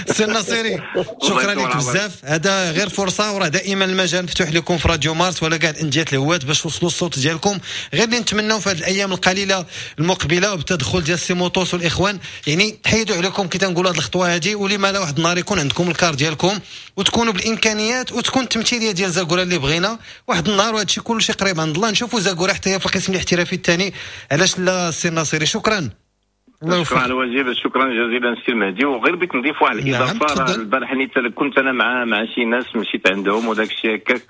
سي الناصري شكرا لك بزاف، هذا غير فرصة، وراه دائما المجال مفتوح لكم في راديو مارس ولا كاع الاندية الهوات باش توصلوا الصوت ديالكم. غير اللي نتمناو في هذه الايام القليلة المقبلة وبالتدخل ديال السي موطوس والاخوان، يعني تحيدوا عليكم كي تنقولوا هذه الخطوة هذه، ولما لا واحد النهار يكون عندكم ال car ديالكم وتكونوا بالامكانيات وتكون التمثيلية ديال زاكورة اللي بغينا واحد النهار، وهذا الشيء كلشي قريب عند الله، نشوفوا زاكورة حتى هي في القسم الاحترافي الثاني، علاش لا السي الناصري. شكرا. شكرا على الواجب، شكرا جزيلا سي المهدي. وغير بغيت نضيف واحد الاضافة، البارح كنت انا مع شي ناس مشيت عندهم وداك الشيء هكاك،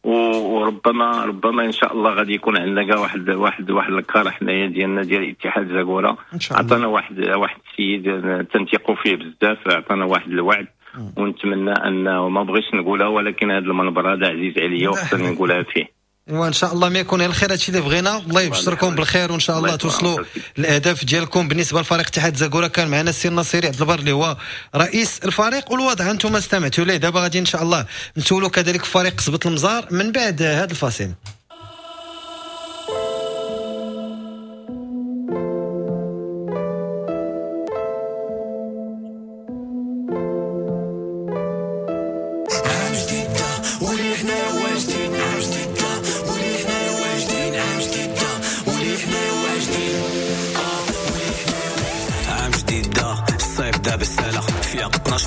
وربما ان شاء الله غادي يكون عندنا كاع واحد واحد واحد الكار حنايا ديالنا ديال اتحاد زاكورة. عطانا واحد السيد تنثقوا فيه بزاف، عطانا واحد الوعد، ونتمنى انه ما بغيتش نقولها ولكن هذا المنبر هذا عزيز عليا وخصني نقولها فيه. وان شاء الله ما يكون الخير، هادشي اللي بغينا. الله يبشركم بالخير وان شاء الله توصلوا الاهداف ديالكم. بالنسبة لفريق اتحاد زاكورة كان معنا السي الناصري عبد البر اللي هو رئيس الفريق، والوضع انتم استمعتوا ليه. دابا غادي ان شاء الله نسولوا كذلك فريق قصبة المزار من بعد هذا الفاصل.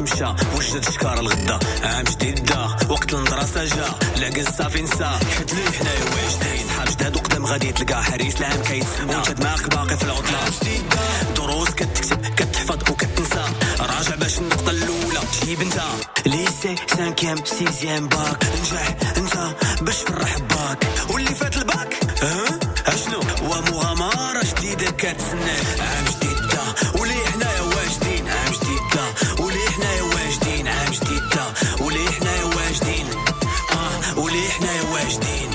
مشى وجد شكار الغدا، عام جديد دا وقت المدرسة جا، العقل صافي نسى حيت لي حنايا واجدين، صحاب جداد وقدام غادي تلقى حريص العام كيتسنى، وانت دماغك باقي في العطلة، دروس كتكتب كتحفظ وكتنسى، راجع باش النقطة الأولى تجيب انت، lycée cinquième sixième bac، نجح انت باش تفرح باك، واللي فات الباك ها اشنو ومغامرة جديدة كتسنى، عام جديد دا ولي حنايا واجدين، عام جديد دا ولي حنايا واجدين، عام جديد دا ولي حنايا واجدين، ولي حنايا واجدين.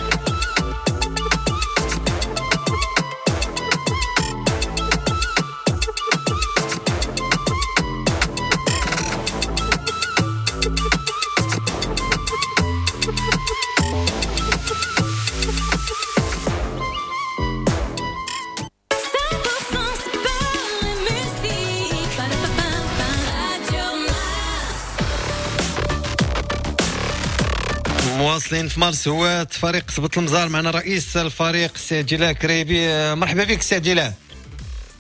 مواصلين في مارس هو فريق قصبة المزار، معنا رئيس الفريق السي عبد الله كريبي. مرحبا بك السي عبد الله.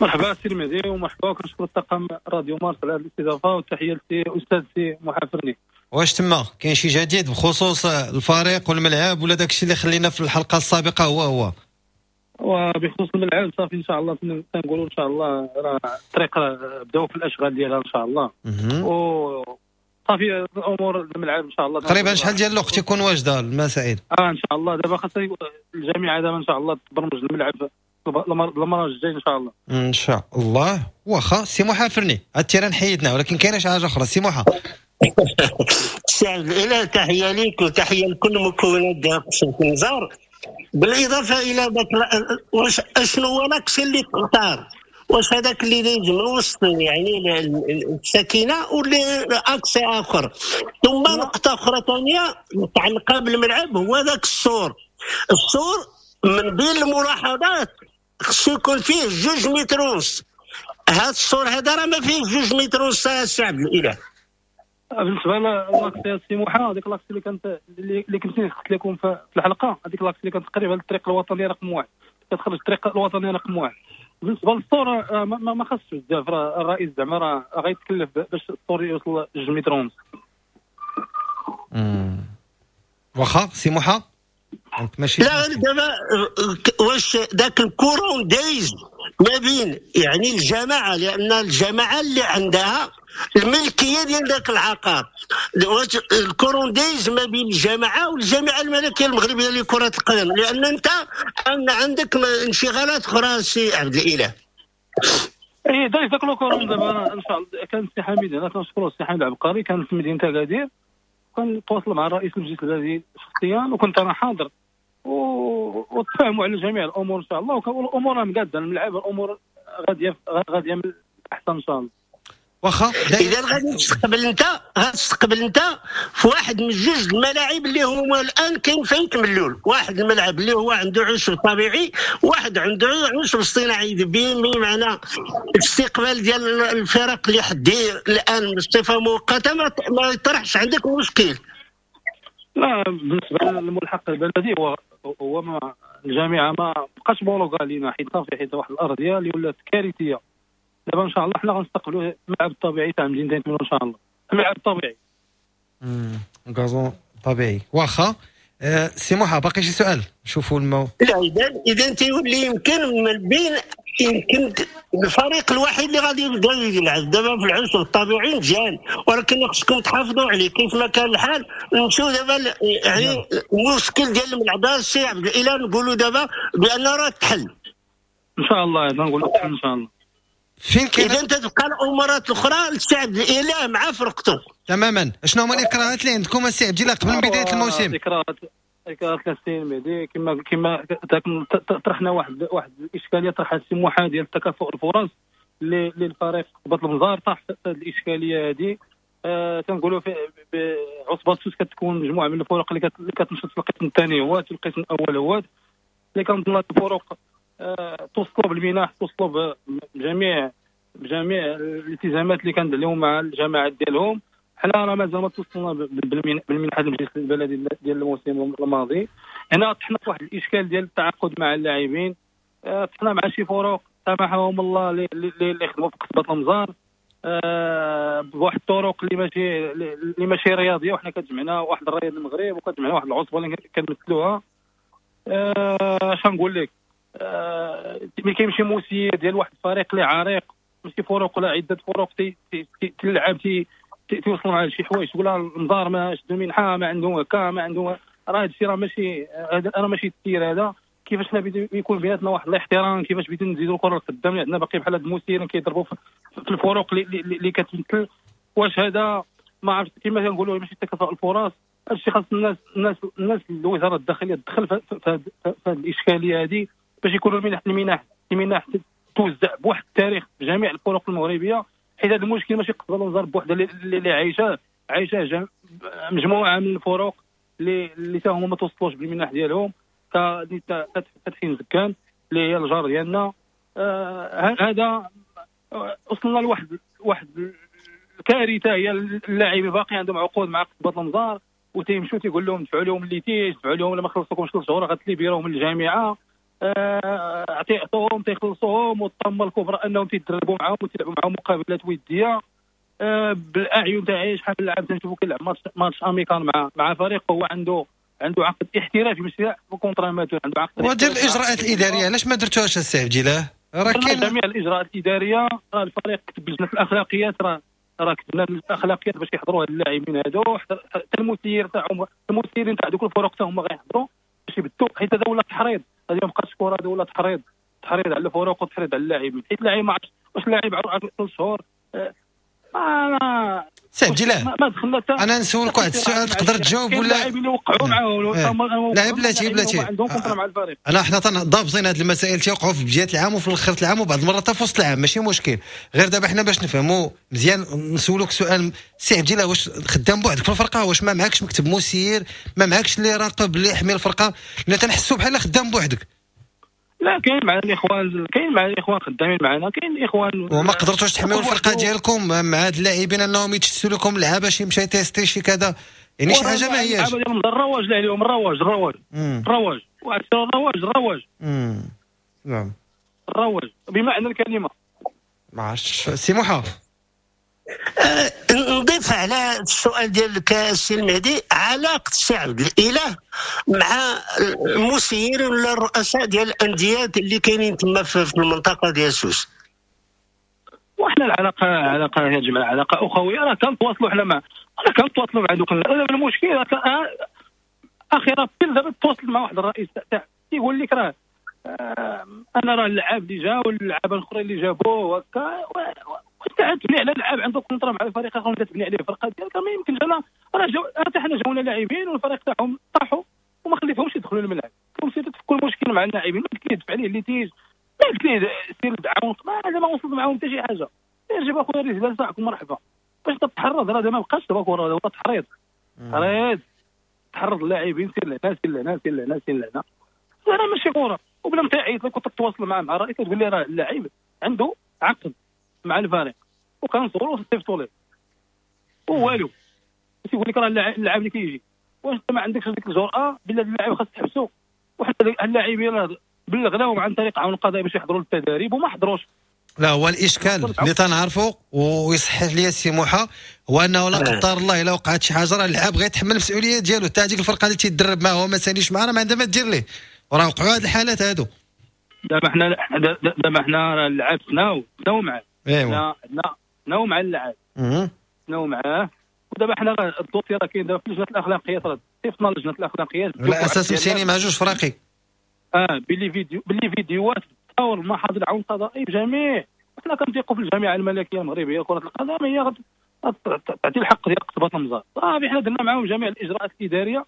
مرحبا سي المهدي، ومرحبا وكنشكر الطاقم راديو مارس على هذه الاستضافة، وتحية للسي استاذ سي محافرني. واش تما كاين شي جديد بخصوص الفريق والملعب ولا داكشي اللي خلينا في الحلقة السابقة هو هو؟ وبخصوص الملعب صافي ان شاء الله تنقولوا ان شاء الله راه الطريق بداو في الاشغال ديالها ان شاء الله، و صافي الامور الملعب ان شاء الله تقريبا شحال ديال الوقت يكون واجدة المسائل؟ ان شاء الله دابا خاص الجامعة دابا ان شاء الله تبرمج الملعب المرة الجاية ان شاء الله. ان شاء الله. واخا سي محافرني هاد ال terrain حيدنا، ولكن كاينه شي حاجة اخرى سي محا. سي عبد الاله تحية ليك وتحية لكل مكونات ديال قصبة المزار، بالاضافة الى ذاك واش اشنو هو l'axe اللي تختار، واش هذاك اللي دايز من وسط يعني السكينة ولا axe اخر. ثم نقطة اخرى ثانية متعلقه بالملعب هو ذاك السور. السور من بين الملاحظات خصو يكون فيه 2 متر ونص. هذا السور هذا راه ما فيه 2 متر ونص السي عبد الاله. بالنسبة l'axe سي موحى، هذيك l'axe اللي كانت اللي كنت قلت لكم في الحلقة، هذيك l'axe اللي كانت قريبه للطريق الوطني رقم 1، كتخرج الطريق الوطني رقم 1. بالنسبة للسور ما خاصش بزاف، راه الرئيس زعما راه غيتكلف باش السور يوصل 2 متر ونص. واخا سي موحى ماشي. لا دابا واش ذاك ال courant دايز ما بين يعني الجماعة، لان الجماعة اللي عندها الملكية ديال ذاك العقار، واش ال courant دايز ما بين الجماعة والجامعة الملكية المغربية لكرة القدم، لان انت عندك انشغالات اخرى سي عبد الاله. اي دايز ذاك le courant دابا ان شاء الله. كان السي حميد هنا كنشكرو السي حميد العبقري، كان في مدينة اكادير، كان تواصل مع الرئيس المجلس البلدي شخصيا، وكنت انا حاضر وتفاهموا على جميع الامور ان شاء الله، والامور مقاده الملعب، الامور غادية من الاحسن ان شاء الله. واخا اذا غادي تستقبل انت في واحد من جوج الملاعب اللي هما الان كاين فين ملول، واحد الملعب اللي هو عنده عشب طبيعي، واحد عنده عشب اصطناعي، بمعنى الاستقبال ديال الفرق اللي حدي الان بصفة مؤقتة ما يطرحش عندك مشكل. لا بالنسبة للملحق البلدي هو ما الجامعة ما بقاش بولوغا لينا، حيت صافي حيت واحد الارضية اللي ولات كارثية. دابا ان شاء الله حنا غنستقبلوا الملعب الطبيعي تاع مدينة ملول ان شاء الله، الملعب الطبيعي. gazon طبيعي. واخا سي موحى باقي شي سؤال؟ شوفوا المو. لا اذا تيولي يمكن من بين يمكن الفريق الوحيد اللي غادي يبدا يلعب دابا في العشب الطبيعي مزيان، ولكن خصكم تحافظوا عليه كيف ما كان الحال. نمشيو دابا يعني المشكل ديال الملعب السي عبد الاله نقولوا دابا بان راه تحل ان شاء الله، نقولوا تحل ان شاء الله. فين كاين اذا تتبقى الامورات الاخرى للسي عبد الاله مع فرقته تماما. شنو هما الاكراهات اللي عندكم السي عبد الاله قبل من بداية الموسم؟ اكراهات السي المهدي كما طرحنا واحد الاشكالية طرحها السي موحى ديال تكافؤ الفرص للفريق قبط المزار، طاح في هذه الاشكالية هذه. تنقولوا في عصبه سوس كتكون مجموعة من الفرق اللي كتنشط في القسم الثاني هوات والقسم الاول هوات، اللي كنظن الفرق توصلوا بالمنح، توصلوا بجميع الالتزامات اللي كانت عليهم مع الجماعات ديالهم. حنا راه مازال ما توصلنا بالمنحه المجلس البلدي ديال الموسم الماضي. هنا طحنا في واحد الاشكال ديال التعاقد مع اللاعبين، طحنا مع شي فروق سامحهم الله اللي خدموا في قصبه المزار بواحد الطرق اللي ماشي رياضية، وحنا كتجمعنا واحد الرياض المغرب وكتجمعنا واحد العصبة اللي كنمثلوها. اش نقول لك، ملي كيمشي مسير ديال واحد الفريق اللي عريق، ماشي فروق ولا عده فروق تلعب تيوصلوا مع شي حوايج، تقول المزار ما شدوا منحه، ما عندهم هكا، ما عندهم، راه هادشي راه ماشي هذا، راه ماشي التسيير هذا. كيفاش حنا يكون بيناتنا واحد الاحترام، كيفاش بغيتو نزيدوا الكره لقدام، اللي عندنا باقي بحال هاد المسيرين كيضربوا في الفروق اللي كتمثل. واش هذا ما عرفت كما كنقولوا ماشي تكافؤ الفرص. هادشي خاص الناس الوزارة الداخلية تدخل في هاد الاشكالية هذه باش يكونوا المنح توزع بواحد التاريخ في جميع الفرق المغربية، حيت هذا المشكل ماشي قصبه المزار بوحدها اللي عايشه مجموعة من الفرق اللي تا هما ما توصلوش بالمنح ديالهم، فتحين زكان اللي هي الجار ديالنا. هذا وصلنا لواحد الكارثة، هي اللاعبين باقي عندهم عقود مع قصبه المزار وتيمشوا تيقول لهم دفعوا لهم les litiges، دفعوا لهم لما خلصوكمش 3 شهور غتليبيروهم من الجامعة، عطيهم تيخلصوهم. والطامه الكبرى انهم تيدربوا معاهم وتلعبوا معاهم مقابلات وديه بالاعين تاعي. شحال من لاعب تنشوفو كيلعب match amical مع فريق هو عنده عقد احترافي ماشي contrat amateur، عنده عقد. ودير الاجراءات الادارية علاش ما درتوهاش السي عبد الاله؟ راه كاين جميع الاجراءات الادارية، راه الفريق كتب لجنة الاخلاقيات، راه كتبنا الاخلاقيات باش يحضروا هاد اللاعبين هادو، حتى المسير تاعهم، المسيرين تاع دوك الفرق حتى هما غيحضروا باش يبدوا، حيت هذا ولا تحريض، هذه ما بقاتش كره، هذا ولا تحريض على الفرق وتحريض على اللاعبين، حيت اللاعب ما عرفتش واش اللاعب عرف 3 شهور. سي عبد الاله انا نسولك واحد السؤال تقدر تجاوب ولا؟ اللاعبين اللي وقعوا معاه لا بلاتي عندهم contrat مع الفريق. انا حنا ضابطين هذه المسائل تيوقعوا في بداية العام وفي الاخر العام وبعض المرات حتى في وسط العام، ماشي مشكل. غير دابا حنا باش نفهموا مزيان نسولوك سؤال سي عبد الاله، واش خدام بوحدك في الفرقة؟ واش ما معكش مكتب مسير؟ ما معكش اللي يراقب اللي يحمي الفرقة؟ لان تنحسوا بحال خدام بوحدك. لا كاين مع الاخوان، كاين مع الاخوان خدامين معنا، كاين الاخوان. وما قدرتوش تحميو الفرقة ديالكم مع هاد اللاعبين انهم يتشتوا لكم لعابه شي مشى تيستي شي كذا، يعني شي حاجة ما هياش. اللعابه ديال الرواج لا عليهم الرواج الرواج الرواج الرواج الرواج. نعم الرواج بمعنى الكلمة. ما عرفتش سي موحى. نضيف على السؤال ديالك السي المهدي، علاقة السي عبد الاله مع المسيرين ولا الرؤساء ديال الاندية اللي كاينين تما في المنطقة ديال سوس؟ وحنا العلاقة علاقة يا جماعة علاقة اخويه، راه كنتواصلوا حنا مع راه كنتواصلوا مع دوك. المشكل اخيرا دابا تواصل مع واحد الرئيس تاع تيقول لك راه انا راه اللعاب اللي جا واللعابه الاخرين اللي جابوه هكا، واش تبني على لعاب عنده contrat مع الفريق اخر وانت تبني عليه الفرقة ديالك؟ ما يمكنش. انا راه حتى حنا جاونا لاعبين والفريق تاعهم طاحوا وما خليتهمش يدخلوا للملعب. كنت تفكوا المشكل مع اللاعبين، ما قلت ليه دفع عليه litige، ما قلت ليه سير تعاون، ما وصلت معاهم حتى شي حاجة. جيب اخويا الرجال تاعكم مرحبا باش تتحرض. راه ما بقاش دابا كره، ولا تحريض تحريض تحرض اللاعبين، سير لهنا سير لهنا سير لهنا سير لهنا. راه ماشي كره. وبلا ما تعيط لك وتتواصل مع الرئيس تقول لي راه اللاعب عنده عقد مع الفريق وكنصوروا وصيفطوا ليه ووالو، تيقول لك راه اللاعب اللي كيجي. واش انت ما عندكش ديك الجرأة بلا اللاعب خاص تحبسو؟ وحتى اللاعبين راه بلغناهم عن طريق عون القضاء باش يحضروا للتدريب وما حضروش. لا هو الاشكال اللي تنعرفوا ويصحح لي السي موحى هو انه لا قدر الله الا وقعت شي حاجة راه اللاعب غيتحمل المسؤولية ديالو، حتى هذيك الفرقة اللي تيدرب معاه هو ما ساليش معاه راه ما عندها ما دير ليه، وراه وقعوا هذه الحالات هادو. دابا حنا اللعاب تناو معاه، ايوا تناو مع اللاعب، تناو معاه. ودابا حنا ال dossier راه كاين دابا في لجنة الاخلاقيات، راه صيفطنا لجنة الاخلاقيات على اساس مسيني مع جوج فراقي باللي فيديوهات تصور المحاضر العون القضائي بجميع. حنا كنثيقوا في الجامعة الملكية المغربية لكرة القدم، هي تعطي الحق ديال قصبه المزار. صافي حنا درنا معاهم جميع الاجراءات الادارية،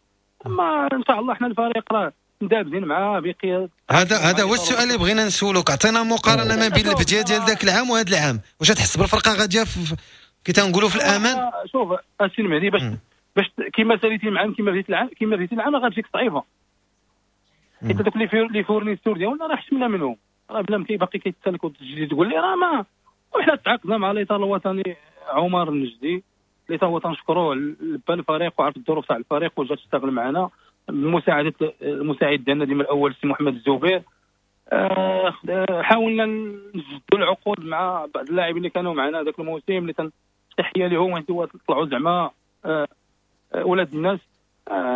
اما ان شاء الله حنا الفريق راه مدابزين معاه بقيادة. هذا هو السؤال اللي بغينا نسولوك، عطينا مقارنة ما بين البداية ديال ذاك العام وهذا العام، واش تحس بالفرقة غادية كي تنقولوا في الامان؟ شوف السي المهدي، باش كيما ساليتي العام كيما بديتي العام كيما بديتي العام غتجيك صعيبة، حيت هذوك les fournisseurs ديالنا راه حشمنا منهم، راه بلا ما باقي كيتسالك وتجي تقول لي راه ما. وحنا تعاقدنا مع الاطار الوطني عمر النجدي اللي تا هو تنشكروه لبى الفريق وعرف الظروف تاع الفريق وجا تشتغل معنا بمساعدة المساعد ديالنا ديما الاول السي محمد الزبير. حاولنا نجدوا العقود مع بعض اللاعبين اللي كانوا معنا ذاك الموسم، اللي تحية لهم طلعوا زعما ولاد الناس.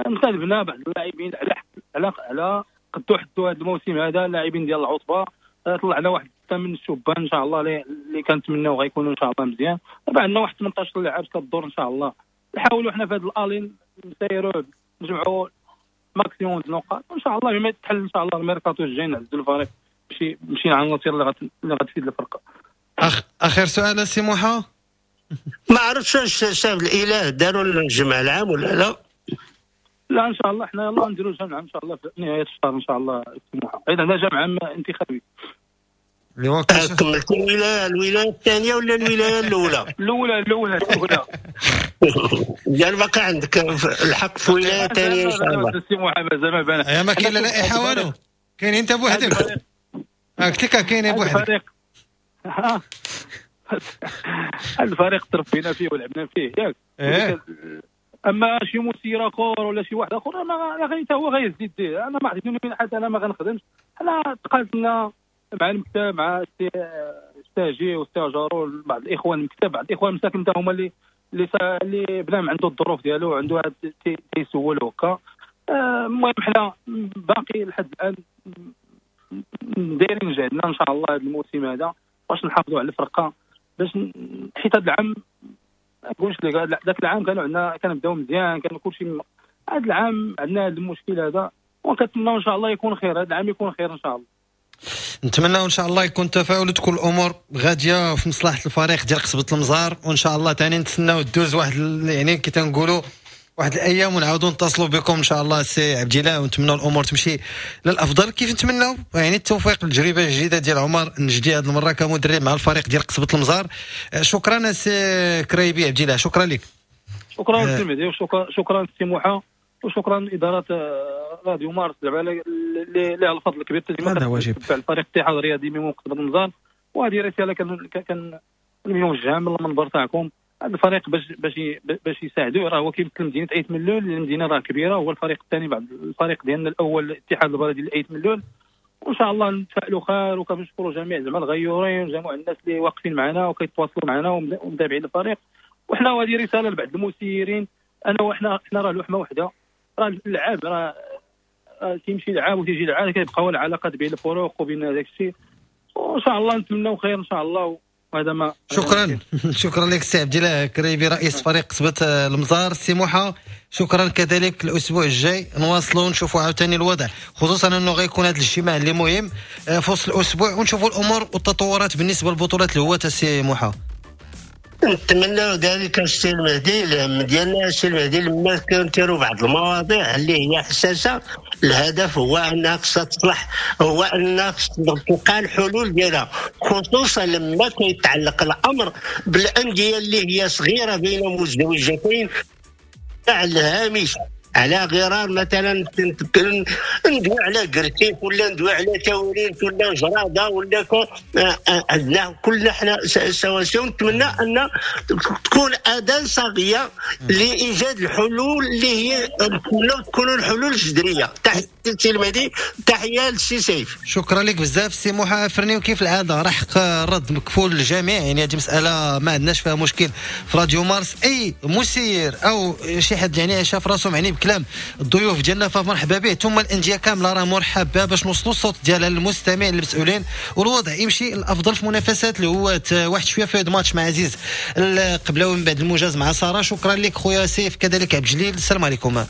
انتدبنا بعض اللاعبين على على قدو حدو هذا الموسم هذا، اللاعبين ديال العصبة. طلعنا واحد من الشبان ان شاء الله اللي كنتمناو غيكونوا ان شاء الله مزيان. دابا عندنا واحد 18 لاعب كدور ان شاء الله. نحاولوا حنا في هذا الالين نسيروا نجمعوا maximum النقاط وان شاء الله بما يتحل ان شاء الله الميركاتو الجاي نعزلوا الفريق مشي مع العناصر اللي غتفيد الفرقة. اخر سؤال سي موحى، ما عرفتش واش شاف الاله داروا الجمع العام ولا لا؟ لا ان شاء الله حنا يلاه نديروا جمع ان شاء الله في نهاية الشهر ان شاء الله السي موحى، اذا عندنا جمع عام انتخابي. كملت الولاية الثانية ولا الولاية الاولى؟ الاولى يعني باقي عندك الحق في ولاية ثانية ان شاء الله. السي موحى مازال ما بان، يا ما كاين لا لائحة والو، كاين انت بوحدك. قلت لك كاين بوحدك. الفريق تربينا فيه ولعبنا فيه ياك. اما شي مسير اخر ولا شي واحد اخر ما غير حتى هو غيزيد ديه. انا ما عطيتني من حتى انا ما غنخدمش. حنا تقاتلنا مع المكتب مع السي الساجي والسي جارو بعض الاخوان المكتب، بعض الاخوان مساكن حتى هما اللي بنام عنده الظروف ديالو عنده تيسول هكا. المهم حنا باقي لحد الان دايرين جهدنا ان شاء الله هذا الموسم هذا باش نحافظوا على الفرقة، باش حيت هذا العام ما نقولش لك ذاك العام كانوا عندنا كنبداو مزيان كان كلشي، هذا العام عندنا هذا المشكل هذا، وكنتمناو ان شاء الله يكون خير، هذا العام يكون خير ان شاء الله. نتمنى ان شاء الله يكون تفاؤل وتكون الامور غادية في مصلحة الفريق ديال قصبه المزار، وان شاء الله ثاني نتسناو دوز واحد يعني كي تنقولوا واحد الايام ونعاودوا نتصلوا بكم ان شاء الله سي عبد الله، ونتمنوا الامور تمشي للافضل كيف نتمناو يعني التوفيق للتجربه الجديدة ديال عمر النجدي هذه المرة كمدرب مع الفريق ديال قصبه المزار. شكرا سي كريبي عبد الله، شكرا لك. شكرا سي مهدي، وشكرا سي موحى، وشكرا ادارة راديو مارس زعما اللي لها الفضل الكبير هذا واجب الفريق الاتحاد الرياضي ميمون قصبه المزار، وهذه رسالة كان موجهة من المنبر تاعكم. هذا الفريق باش يساعدوه، راه هو كيمثل مدينة ايت ملول، المدينة راه كبيرة، هو الفريق الثاني بعد الفريق ديالنا الاول الاتحاد البلدي لايت ملول، وان شاء الله نتفائلوا خير. وكنشكروا جميع زعما الغيورين وجميع الناس اللي واقفين معنا وكيتواصلوا معنا ومتابعين الفريق. وحنا هذه رسالة لبعض المسيرين، انا وحنا حنا راه لحمه وحده، راه اللعاب راه تيمشي لعاب وتيجي لعاب، كيبقاو العلاقات بين الفروق وبين داك الشيء، وان شاء الله نتمناو خير ان شاء الله. وهذا ما شكرا شكرا لك سي عبد الله كريبي رئيس فريق قصبة المزار. سي موحى شكرا كذلك. الاسبوع الجاي نواصلوا نشوفوا عاوتاني الوضع، خصوصا انه غيكون هذا الاجتماع اللي مهم في وسط الاسبوع، ونشوفوا الامور والتطورات بالنسبة للبطولات الهواة. سي موحى نتمنى ذلك السي المهدي. الهم ديالنا السي المهدي لما كنثيروا بعض المواضيع اللي هي حساسة، الهدف هو انها خصها تصلح، هو انها خصها تلقى الحلول ديالها، خصوصا لما كيتعلق الامر بالاندية اللي هي صغيرة بين مزدوجتين على الهامش. على غرار مثلا ندوي على كرتيف ولا ندوي على تاوريرت ولا جراده ولا عندنا كلنا حنا سواسية. ونتمنى ان تكون اذان صاغيه لايجاد الحلول اللي هي تكون الحلول الجذرية. تحية للسي المهدي، تحية للسي سيف. شكرا لك بزاف سي موحى فرني، وكيف العادة راه حق الرد مكفول للجميع، يعني هذه مسالة ما عندناش فيها مشكل في راديو مارس. اي مسير او شي حد يعني شاف راسو معني بكلام الضيوف ديالنا فمرحبا به، ثم الاندية كاملة راه مرحب بها باش نوصلوا الصوت ديالها للمستمع للمسؤولين، والوضع يمشي الافضل في منافسات الهواة. واحد شوية في ماتش مع عزيز القبلاوي من بعد الموجز مع ساره. شكرا لك خويا سيف، كذلك عبد الجليل. السلام عليكم.